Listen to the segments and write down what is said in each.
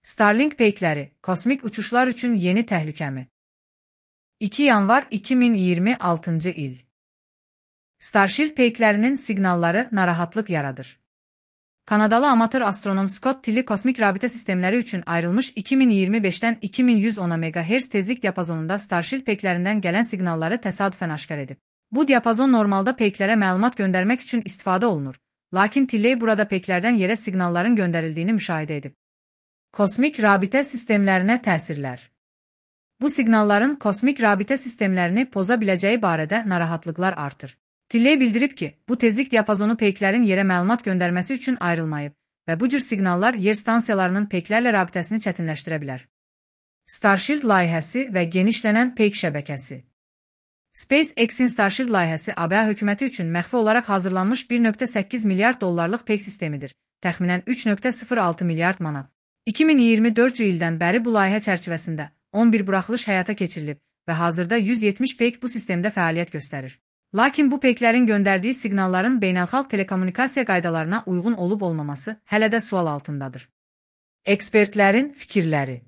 Starlink peykləri, kosmik uçuşlar üçün yeni təhlükəmi? 2 yanvar 2026-cı il. Starship peyklərinin siqnalları narahatlıq yaradır. Kanadalı amatör astronom Scott Tilley kosmik rabitə sistemləri üçün ayrılmış 2025-dən 2110 MHz tezlik diapazonunda Starship peyklərindən gələn siqnalları təsadüfən aşkar edib. Bu diapazon normalda peyklərə məlumat göndərmək üçün istifadə olunur, lakin Tilley burada peyklərdən yerə siqnalların göndərildiyini müşahidə edib. Kosmik rabitə sistemlərinə təsirlər. Bu siqnalların kosmik rabitə sistemlərini poza biləcəyi barədə narahatlıqlar artır. Tilley bildirib ki, bu tezlik diapazonu peyklərin yerə məlumat göndərməsi üçün ayrılmayıb və bu cür siqnallar yer stansiyalarının peyklərlə rabitəsini çətinləşdirə bilər. Starship layihəsi və genişlənən peyk şəbəkəsi. SpaceX-in Starship layihəsi ABŞ hökuməti üçün məxfi olaraq hazırlanmış 1,8 milyard dollarlıq peyk sistemidir, təxminən 3,06 milyard manat. 2024-cü ildən bəri bu layihə çərçivəsində 11 buraxılış həyata keçirilib və hazırda 170 peyk bu sistemdə fəaliyyət göstərir. Lakin bu peyklərin göndərdiyi siqnalların beynəlxalq telekommunikasiya qaydalarına uyğun olub-olmaması hələ də sual altındadır. Ekspertlərin fikirləri.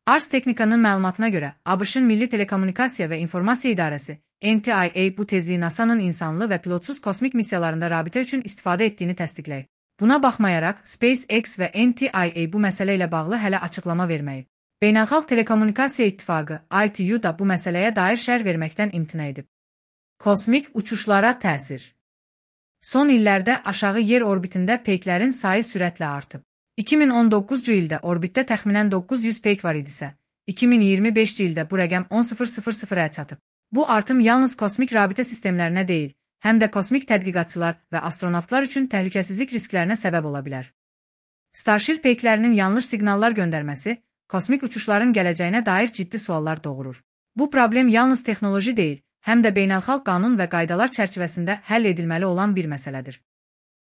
Ars Technica'nın məlumatına görə, ABŞ-ın Milli Telekommunikasiya və İnformasiya İdarəsi, NTIA bu tezliyi NASA'nın insanlı və pilotsuz kosmik missiyalarında rabitə üçün istifadə etdiyini təsdiqləyib. Buna baxmayaraq, SpaceX və NTIA bu məsələ ilə bağlı hələ açıqlama verməyib. Beynəlxalq Telekommunikasiya İttifaqı, ITU da bu məsələyə dair şərh verməkdən imtina edib. Kosmik uçuşlara təsir. Son illərdə aşağı yer orbitində peyklərin sayı sürətlə artıb. 2019-cu ildə orbitdə təxminən 900 peyk var idisə, 2025-ci ildə bu rəqəm 10,000-ə çatıb. Bu artım yalnız kosmik rabitə sistemlərinə deyil, həm də kosmik tədqiqatçılar və astronavtlar üçün təhlükəsizlik risklərinə səbəb ola bilər. Starship peyklərinin yanlış siqnallar göndərməsi, kosmik uçuşların gələcəyinə dair ciddi suallar doğurur. Bu problem yalnız texnoloji deyil, həm də beynəlxalq qanun və qaydalar çərçivəsində həll edilməli olan bir məsələdir.